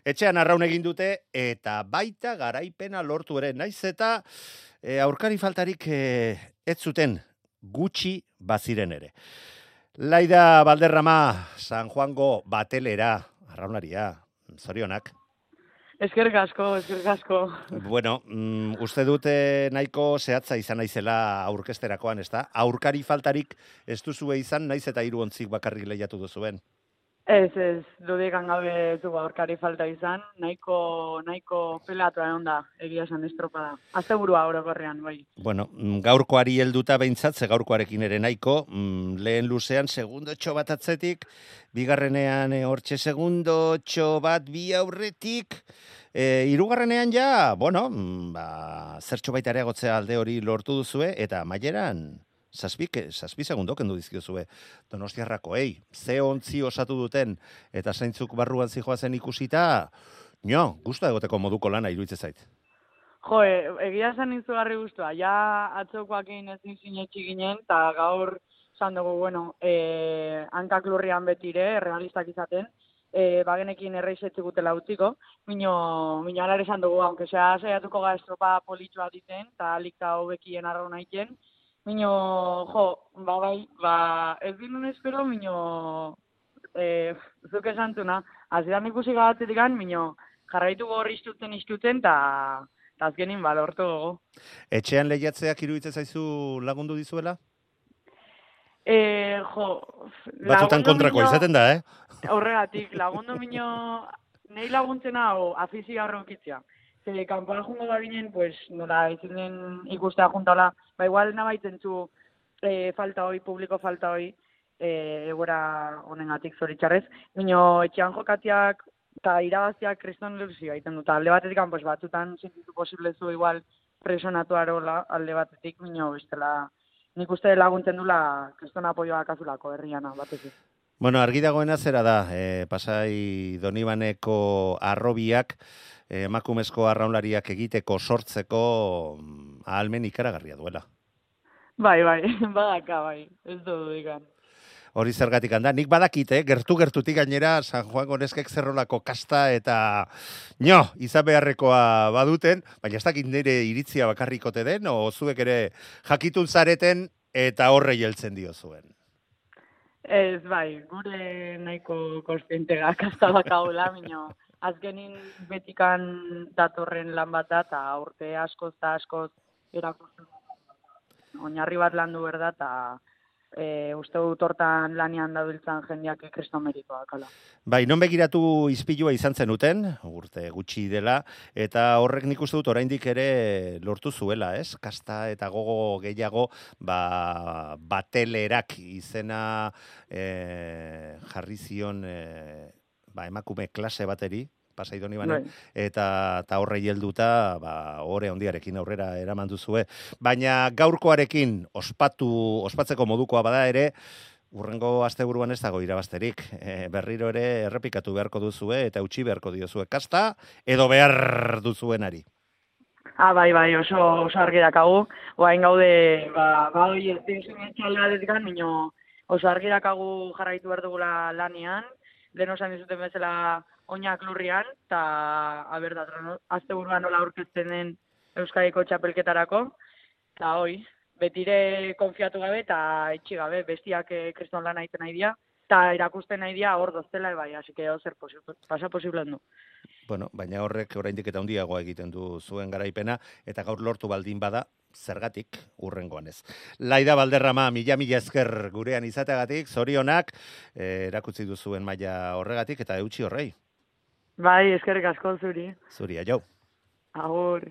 Etxean arraun egin dute eta baita garaipena lortu ere. Naiz eta aurkari faltarik ez zuten gutxi baziren ere. Laida Valderrama, San Juango batelera, arraunaria, zorionak. Eskerrik asko. Bueno, uste dute nahiko zehatza izan naizela aurkesterakoan, ez da? Aurkari faltarik ez duzue izan, naiz eta 3 ontzik bakarrik lehiatu duzuen. Ez, dudikan gabe ez du aurkari falta izan, nahiko pelatu egon da, egia esan estropada. Asteburua orokorrean, bai. Bueno, gaurkoari helduta behintzat, ze gaurkoarekin ere nahiko, lehen luzean segundotxo bat atzetik, bigarrenean hortxe segundotxo bat bi aurretik, hirugarrenean ja, bueno, zertxo baita areagotzea alde hori lortu duzue, eta amaieran zazpi segundo kendu dizkiozue Donostiarrakoei. Ze ontzi osatu duten eta zeintzuk barruan zijoazen ikusita, gusta egoteko moduko lana iruditzen zait. Jo, egia esan izugarri guztua. Ja atzokoakin ezin sinetxi ginen, eta gaur esan dugu, bueno, hankak lurrian betire, realistak izaten, bagenekin erreizetzi gutela utziko, mino alare esan dugu, aunque sea saiatuko ga estropa politxoa diten, eta alikta hobekien arraun naiten, mino, ez dinun espero, mino, zuk esantuna, azidan ikusi gabatzetik mino, jarraitu gorri istuten, eta azkenin balortu gogo. Etxean lehiatzeak iruditzen zaizu lagundu dizuela? Batzutan kontrako izaten da, Horregatik, lagundu mino, nahi laguntzen hau afizia horreukitzea. Kanpoan jungo da ginen, pues, nola izinen ikustea juntala, igual nabaitzen zu publiko falta hoi, egora honengatik zoritxarrez. Mino, etxean jokatiak eta irabaztiak kriston ilusioa egiten dut. Alde batetik, pues, batzutan sentitu posible zu igual presonatu arola alde batetik, mino, bestela, nik uste laguntzen dula kriston apoioa kazulako herriana, batetik. Bueno, argi dagoena zera da, Pasai Donibaneko arrobiak, emakumezko arraunlariak egiteko sortzeko ahalmen ikaragarria duela. Bai, badaka, bai, ez dudikan. Hori zergatik handa, nik badakit, gertutik gainera San Juan Goneskek zerrolako kasta eta izan beharrekoa baduten, baina ez dakit nire iritzia bakarrikote den, o zuek ere jakitun zareten eta horrei heltzen dio zuen. Ez, bai, gure nahiko konstientega kasta bakaula, mino, azkenin betikan datorren lan bat da, eta urte askoz erakusten. Oinarri bat landu berda, eta uste dut hortan lanian dabiltzan jendeak kriston meritoa kala. Bai, non begiratu izpilua izan zenuten, urte gutxi dela, eta horrek nik uste dut oraindik ere lortu zuela, ez? Kasta eta gogo gehiago, batelerak izena jarri zion emakume klase bateri, Pasai Donibanen, eta horrei helduta, ore handiarekin aurrera eraman duzue. Baina gaurkoarekin ospatzeko modukoa bada ere, urrengo asteburuan ez dago irabazterik. Berriro ere errepikatu beharko duzue eta utzi beharko diozue kasta, edo behar duzuenari. Bai, oso argi dakagu. Oain gaude, ez dintzen txaldeadetik, mino oso argi dakagu jarraitu behar dugula lanian, lehen osan dizuten bezala oinak lurrian, eta asteburuan nola aurkezten den Euskadiko txapelketarako, eta betire konfiatu gabe eta itxi gabe, bestiak kriston lan egiten nahi dira, eta erakusten nahi dira hor doztela, así que zer pasa posible du. Bueno, baina horrek oraindik eta handiagoa egiten du zuen garaipena, eta gaur lortu baldin bada, zergatik urrengoan ez. Laida Valderrama, mila esker gurean izateagatik, zorionak, erakutsi duzuen maila horregatik, eta eutsi horrei. Bai, eskerrik asko zuri. Zuri, aio. Agur.